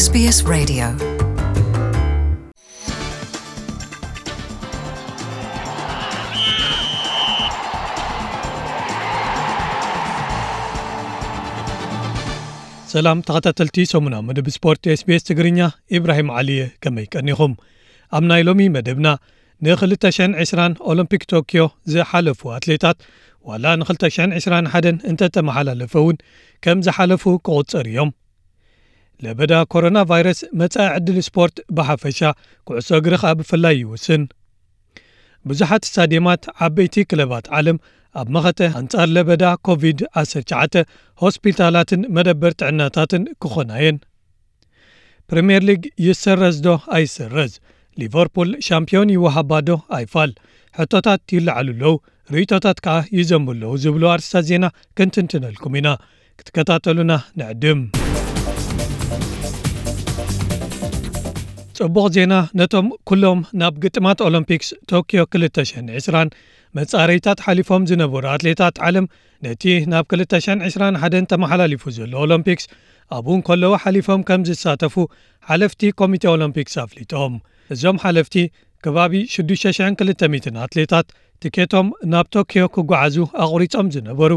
SBS Radio. ሰላም ተኸታተልቲ ሰሙናዊ መደብ ስፖርት SBS ትግርኛ፣ ኢብራሂም ዓሊ እየ። ከመይ ቀኒኹም? ኣብ ናይ ሎሚ መደብና፣ ንክልተ ሽሕን ዕስራን ኦሎምፒክ ቶክዮ ዝሓለፉ ኣትሌታት፣ ዋላ ንክልተ ሽሕን ዕስራን ሓደን እንተተመሓላለፈ እውን፣ ከም ዝሓለፉ ክቑጸር እዮም። ለበዳ ኮሮና ቫይረስ መጻኢ ዕድል ስፖርት ብሓፈሻ፣ ኩዕሶ እግሪ ኸኣ ብፍላይ ይውስን። ብዙሓት ስታድየማት ዓበይቲ ክለባት ዓለም ኣብ መኸተ ኣንጻር ለበዳ ኮቪድ ዓሰርተ ትሽዓተ ሆስፒታላትን መደበር ጥዕናታትን ክኾና እየን። ፕሪምየር ሊግ ይሰረዝ ዶ ኣይሰረዝ? ሊቨርፑል ሻምፒዮን ይወሃባ ዶ ኣይፋል? ሕቶታት ይለዓሉ ኣለዉ፣ ርእይቶታት ከኣ ይዘንቡ ኣለዉ ዝብሉ ኣርእስታት ዜና ክንትንትነልኩም ኢና። ክትከታተሉና ንዕድም። ጽቡቕ ዜና ነቶም ኩሎም ናብ ግጥማት ኦሎምፒክስ ቶክዮ ክልተ ሽሕን ዕስራን መጻረይታት ሓሊፎም ዝነበሩ ኣትሌታት ዓለም፣ ነቲ ናብ ክልተ ሽሕን ዕስራን ሓደን ተመሓላሊፉ ዘሎ ኦሎምፒክስ ኣብኡ እንከለዉ ሓሊፎም ከም ዝሳተፉ ሓለፍቲ ኮሚቴ ኦሎምፒክስ ኣፍሊጦም። እዞም ሓለፍቲ፣ ከባቢ ሽዱሽተ ሽሕን ክልተ ሚእትን ኣትሌታት ትኬቶም ናብ ቶክዮ ክጓዓዙ ኣቑሪጾም ዝነበሩ፣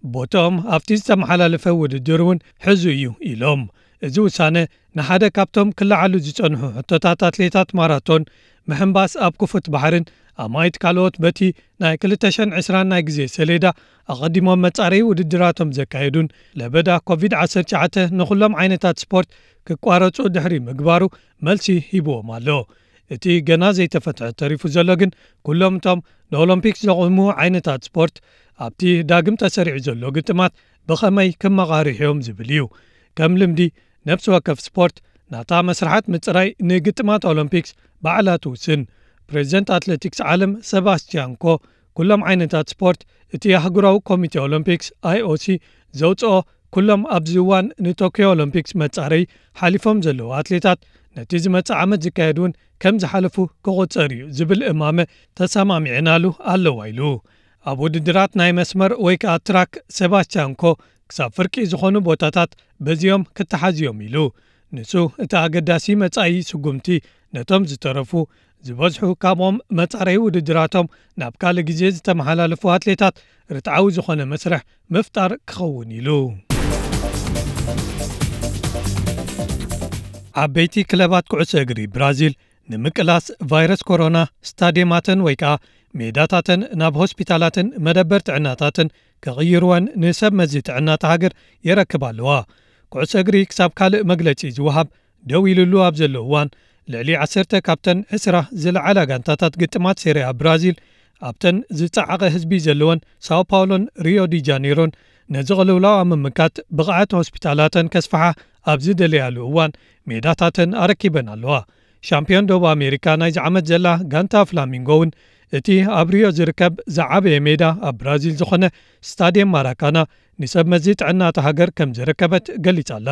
ቦታኦም ኣብቲ ዝተመሓላለፈ ውድድር እውን ሕዙ እዩ ኢሎም። እዚ ውሳነ ንሓደ ካብቶም ክለዓሉ ዝጸንሑ ሕቶታት ኣትሌታት ማራቶን ምሕንባስ ኣብ ክፉት ባሕርን ኣማኢት ካልኦት በቲ ናይ ክልተ ሽሕን ዕስራን ናይ ግዜ ሰሌዳ ኣቐዲሞም መጻረዪ ውድድራቶም ዘካየዱን ለበዳ ኮቪድ ዓሰርተ ትሽዓተ ንኹሎም ዓይነታት ስፖርት ክቋረጹ ድሕሪ ምግባሩ መልሲ ሂብዎም ኣሎ። እቲ ገና ዘይተፈትሐ ተሪፉ ዘሎ ግን፣ ኩሎም እቶም ንኦሎምፒክስ ዘቑሙ ዓይነታት ስፖርት ኣብቲ ዳግም ተሰሪዑ ዘሎ ግጥማት ብኸመይ ክመቓርሑ እዮም ዝብል እዩ። ከም ልምዲ፣ ነፍሲ ወከፍ ስፖርት ናታ መስርሓት ምጽራይ ንግጥማት ኦሎምፒክስ ባዕላ ትውስን። ፕሬዚደንት ኣትሌቲክስ ዓለም ሰባስቲያን ኮ፣ ኩሎም ዓይነታት ስፖርት እቲ ኣህጉራዊ ኮሚቴ ኦሎምፒክስ፣ ኣይኦሲ፣ ዘውጽኦ፣ ኩሎም ኣብዚ እዋን ንቶክዮ ኦሎምፒክስ መጻረይ ሓሊፎም ዘለዉ ኣትሌታት፣ ነቲ ዝመጽእ ዓመት ዝካየድ እውን ከም ዝሓለፉ ክቑጸር እዩ ዝብል እማመ ተሰማሚዐናሉ ኣለዋ ኢሉ። ኣብ ውድድራት ናይ መስመር ወይ ከኣ ትራክ፣ ሰባስቲያን ኮ ክሳብ ፍርቂ ዝኾኑ ቦታታት በዚኦም ክተሓዙ እዮም ኢሉ። ንሱ፣ እቲ ኣገዳሲ መጻኢ ስጉምቲ ነቶም ዝተረፉ፣ ዝበዝሑ ካብኦም መጻረዪ ውድድራቶም ናብ ካልእ ግዜ ዝተመሓላለፉ ኣትሌታት ርትዓዊ ዝኾነ መስርሕ ምፍጣር ክኸውን ኢሉ። ዓበይቲ ክለባት ኩዕሶ እግሪ ብራዚል ንምቅላስ ቫይረስ ኮሮና ስታድየማተን ወይ ከኣ ሜዳታተን ናብ ሆስፒታላትን መደበር ጥዕናታትን ክቕይርወን ንሰብ መዚ ጥዕና እታ ሃገር የረክባ ኣለዋ። ኩዕሶ እግሪ ክሳብ ካልእ መግለጺ ዝወሃብ ደው ኢሉሉ ኣብ ዘሎ እዋን፣ ልዕሊ ዓሰርተ ካብተን ዕስራ ዝለዓላ ጋንታታት ግጥማት ሴሪያ ብራዚል ኣብተን ዝጸዓቐ ህዝቢ ዘለወን ሳኦ ፓውሎን ሪዮ ዲ ጃኔሮን ነዚ ቅልውላው ኣብ ምምካት ብቕዓት ሆስፒታላተን ከስፍሓ ኣብ ዝደለያሉ እዋን፣ ሜዳታተን ኣረኪበን ኣለዋ። ሻምፒዮን ደቡብ ኣሜሪካ ናይዚ ዓመት ዘላ ጋንታ ፍላሚንጎ እውን፣ እቲ ኣብ ሪዮ ዝርከብ ዝዓበየ ሜዳ ኣብ ብራዚል ዝኾነ ስታድየም ማራካና ንሰብ መዚ ጥዕና እታ ሃገር ከም ዘረከበት ገሊጻ ኣላ።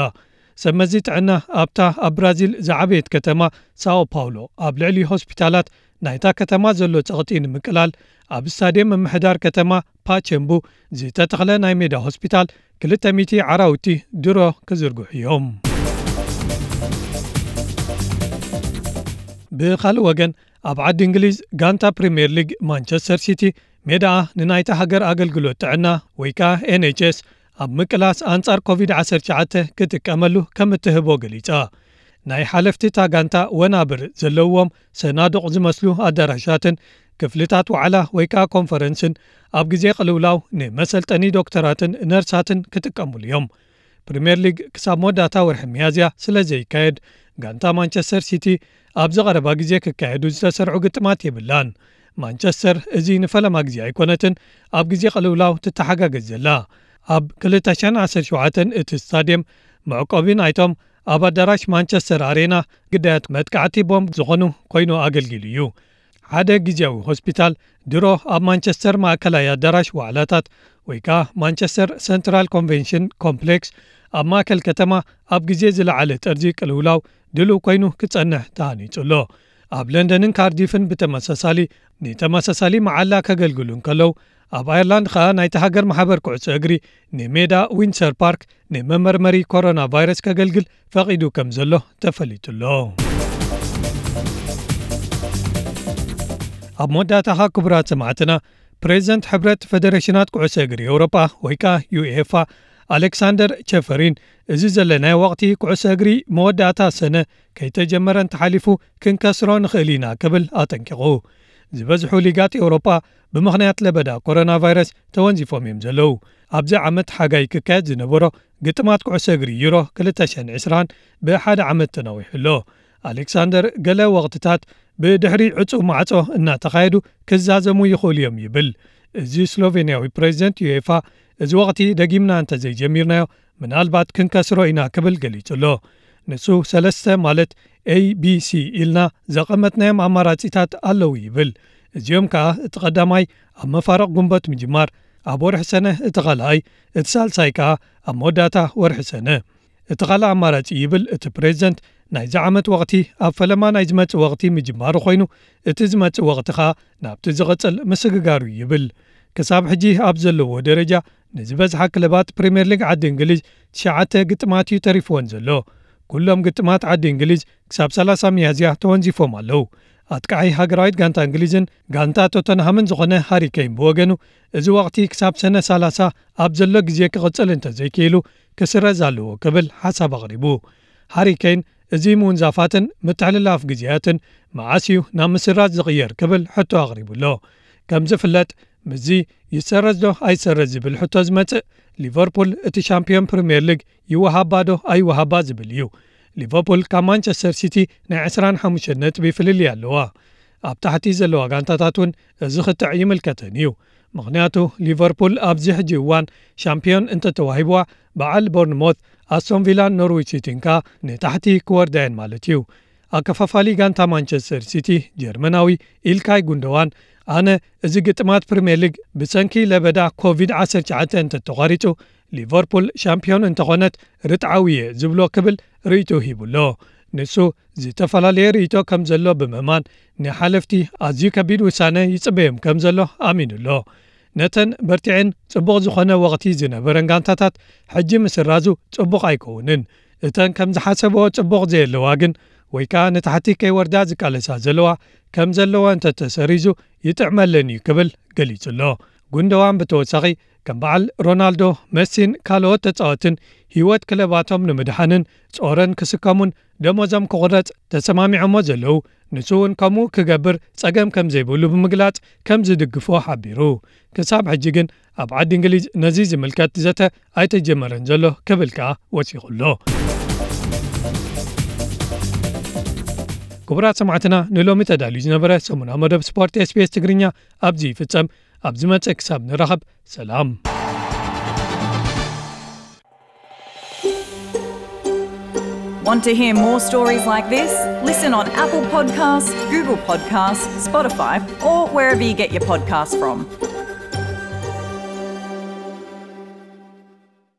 ሰብ መዚ ጥዕና ኣብታ ኣብ ብራዚል ዝዓበየት ከተማ ሳኦ ፓውሎ፣ ኣብ ልዕሊ ሆስፒታላት ናይታ ከተማ ዘሎ ጸቕጢ ንምቅላል፣ ኣብ ስታድየም ምምሕዳር ከተማ ፓቸምቡ ዝተተኽለ ናይ ሜዳ ሆስፒታል ክልተ ሚእቲ ዓራውቲ ድሮ ክዝርግሑ እዮም። ብኻልእ ወገን፣ ኣብ ዓዲ እንግሊዝ ጋንታ ፕሪምየር ሊግ ማንቸስተር ሲቲ ሜዳኣ ንናይታ ሃገር ኣገልግሎት ጥዕና ወይ ከኣ ኤን ኤች ኤስ ኣብ ምቅላስ ኣንጻር ኮቪድ ዓሰርተ ትሽዓተ ክጥቀመሉ ከም እትህቦ ገሊጻ። ናይ ሓለፍቲ እታ ጋንታ ወናብር ዘለውዎም ሰናዱቕ ዝመስሉ ኣዳራሻትን ክፍልታት ዋዕላ ወይ ከኣ ኮንፈረንስን ኣብ ግዜ ቅልውላው ንመሰልጠኒ ዶክተራትን ነርሳትን ክጥቀሙሉ እዮም። ፕሪምየር ሊግ ክሳብ መወዳእታ ወርሒ ሚያዝያ ስለ ዘይካየድ፣ ጋንታ ማንቸስተር ሲቲ ኣብዚ ቀረባ ግዜ ክካየዱ ዝተሰርዑ ግጥማት የብላን። ማንቸስተር እዚ ንፈለማ ግዜ ኣይኮነትን ኣብ ግዜ ቅልውላው ትተሓጋገዝ ዘላ። ኣብ ክልተ ሽሕን ዓሰርተ ሸውዓተን እቲ ስታድየም መዕቆቢ ናይቶም ኣብ ኣዳራሽ ማንቸስተር ኣሬና ግዳያት መጥቃዕቲ ቦምብ ዝኾኑ ኮይኑ ኣገልጊሉ እዩ። ሓደ ግዜያዊ ሆስፒታል ድሮ ኣብ ማንቸስተር ማእከላይ ኣዳራሽ ዋዕላታት ወይ ከኣ ማንቸስተር ሰንትራል ኮንቬንሽን ኮምፕሌክስ ኣብ ማእከል ከተማ ኣብ ግዜ ዝለዓለ ጠርዚ ቅልውላው ድሉው ኮይኑ ክጸንሕ ተሃኒጹ ኣሎ። ኣብ ለንደንን ካርዲፍን ብተመሳሳሊ ንተመሳሳሊ መዓላ ከገልግሉ እንከለዉ፣ ኣብ ኣየርላንድ ከኣ ናይቲ ሃገር ማሕበር ኩዕሶ እግሪ ንሜዳ ዊንድሰር ፓርክ ንመመርመሪ ኮሮና ቫይረስ ከገልግል ፈቒዱ ከም ዘሎ ተፈሊጡ ኣሎ። ኣብ መወዳእታ ኸኣ ክቡራት ሰማዕትና፣ ፕሬዚደንት ሕብረት ፌደሬሽናት ኩዕሶ እግሪ ኤውሮጳ ወይ ከኣ ዩኤፋ ኣሌክሳንደር ቸፈሪን፣ እዚ ዘለናዮ ወቕቲ ኩዕሶ እግሪ መወዳእታ ሰነ ከይተጀመረ እንተሓሊፉ ክንከስሮ ንኽእል ኢና ክብል ኣጠንቂቑ። ዝበዝሑ ሊጋት ኤውሮጳ ብምኽንያት ለበዳ ኮሮና ቫይረስ ተወንዚፎም እዮም ዘለዉ። ኣብዚ ዓመት ሓጋይ ክካየድ ዝነበሮ ግጥማት ኩዕሶ እግሪ ዩሮ ክልተ ሽሕን ዕስራን ብሓደ ዓመት ተናዊሑ ኣሎ። ኣሌክሳንደር ገለ ወቕትታት ብድሕሪ ዕጹው ማዕጾ እናተኻየዱ ክዛዘሙ ይኽእሉ እዮም ይብል። እዚ ስሎቬንያዊ ፕሬዚደንት ዩኤፋ፣ እዚ ወቕቲ ደጊምና እንተዘይጀሚርናዮ ምናልባት ክንከስሮ ኢና ክብል ገሊጹ ኣሎ። ንሱ ሰለስተ ማለት ኤ ቢ ሲ ኢልና ዘቐመጥናዮም ኣማራጺታት ኣለዉ ይብል። እዚኦም ከኣ እቲ ቀዳማይ ኣብ መፋርቕ ጉንበት ምጅማር፣ ኣብ ወርሒ ሰነ እቲ ኻልኣይ፣ እቲ ሳልሳይ ከኣ ኣብ መወዳእታ ወርሒ ሰነ። እቲ ካልእ ኣማራጺ ይብል እቲ ፕሬዚደንት፣ ናይዚ ዓመት ወቕቲ ኣብ ፈለማ ናይ ዝመጽእ ወቕቲ ምጅማሩ ኮይኑ፣ እቲ ዝመጽእ ወቕቲ ኸኣ ናብቲ ዝቕጽል ምስግጋሩ ይብል። ክሳብ ሕጂ ኣብ ዘለዎ ደረጃ ንዝበዝሓ ክለባት ፕሪምየር ሊግ ዓዲ እንግሊዝ ትሽዓተ ግጥማት እዩ ተሪፍወን ዘሎ። ኩሎም ግጥማት ዓዲ እንግሊዝ ክሳብ ሰላሳ ሚያዝያ ተወንዚፎም ኣለዉ። ኣጥቃዓይ ሃገራዊት ጋንታ እንግሊዝን ጋንታ ቶተንሃምን ዝኾነ ሃሪ ኬን ብወገኑ፣ እዚ ወቕቲ ክሳብ ሰነ ሰላሳ ኣብ ዘሎ ግዜ ክቕጽል እንተዘይክኢሉ ክስረዝ ኣለዎ ክብል ሓሳብ ኣቕሪቡ። ሃሪ ኬን፣ እዚ ምውንዛፋትን ምትሕልላፍ ግዜያትን መዓስ እዩ ናብ ምስራዝ ዝቕየር ክብል ሕቶ ኣቕሪቡ ኣሎ። ከም ዝፍለጥ፣ ምስዚ ይሰረዝ ዶ ኣይሰረዝ ዝብል ሕቶ ዝመጽእ፣ ሊቨርፑል እቲ ሻምፒዮን ፕሪምየር ሊግ ይወሃባ ዶ ኣይወሃባ ዝብል እዩ። ሊቨርፑል ካብ ማንቸስተር ሲቲ ናይ ዕስራን ሓሙሽተን ነጥቢ ፍልልይ ኣለዋ። ኣብ ታሕቲ ዘለዋ ጋንታታት እውን እዚ ክትዕ ይምልከተን እዩ። ምኽንያቱ ሊቨርፑል ኣብዚ ሕጂ እዋን ሻምፒዮን እንተተዋሂብዋ፣ በዓል ቦርንሞት፣ ኣስቶን ቪላን ኖርዊች ሲቲን ከኣ ንታሕቲ ክወርዳ እየን ማለት እዩ። ኣከፋፋሊ ጋንታ ማንቸስተር ሲቲ ጀርመናዊ ኢልካይ ጉንደዋን፣ ኣነ እዚ ግጥማት ፕሪምየር ሊግ ብሰንኪ ለበዳ ኮቪድ ዓሰርተ ትሽዓተ እንተተቋሪጹ፣ ሊቨርፑል ሻምፒዮን እንተኾነት ርትዓዊ እየ ዝብሎ ክብል ርእይቶ ሂቡ ኣሎ። ንሱ ዝተፈላለየ ርእይቶ ከም ዘሎ ብምእማን፣ ንሓለፍቲ ኣዝዩ ከቢድ ውሳነ ይጽበዮም ከም ዘሎ ኣሚኑ ኣሎ። ነተን በርቲዐን ጽቡቕ ዝኾነ ወቕቲ ዝነበረን ጋንታታት ሕጂ ምስራዙ ጽቡቕ ኣይከውንን። እተን ከም ዝሓሰብኦ ጽቡቕ ዘየለዋ ግን፣ ወይ ከኣ ንታሕቲ ከይወርዳ ዝቃለሳ ዘለዋ፣ ከም ዘለዎ እንተተሰሪዙ ይጥዕመለን እዩ ክብል ገሊጹ ኣሎ። ጉንደዋን ብተወሳኺ፣ ከም በዓል ሮናልዶ፣ መሲን ካልኦት ተጻወትን ህይወት ክለባቶም ንምድሓንን ጾረን ክስከሙን ደሞዞም ክቑረጽ ተሰማሚዖሞ ዘለዉ፣ ንሱ እውን ከምኡ ክገብር ጸገም ከም ዘይብሉ ብምግላጽ ከም ዝድግፎ ሓቢሩ። ክሳብ ሕጂ ግን ኣብ ዓዲ እንግሊዝ ነዚ ዝምልከት ዘተ ኣይተጀመረን ዘሎ ክብል ከኣ ወሲኹ ኣሎ። ክቡራት ሰማዕትና፣ ንሎሚ ተዳልዩ ዝነበረ ሰሙናዊ መደብ ስፖርት ኤስ ቢ ኤስ ትግርኛ ኣብዚ ይፍጸም። ኣብ ዝመጽእ ክሳብ ንራኸብ፣ ሰላም። Want to hear more stories like this? Listen on Apple Podcasts, Google Podcasts, Spotify, or wherever you get your podcasts from.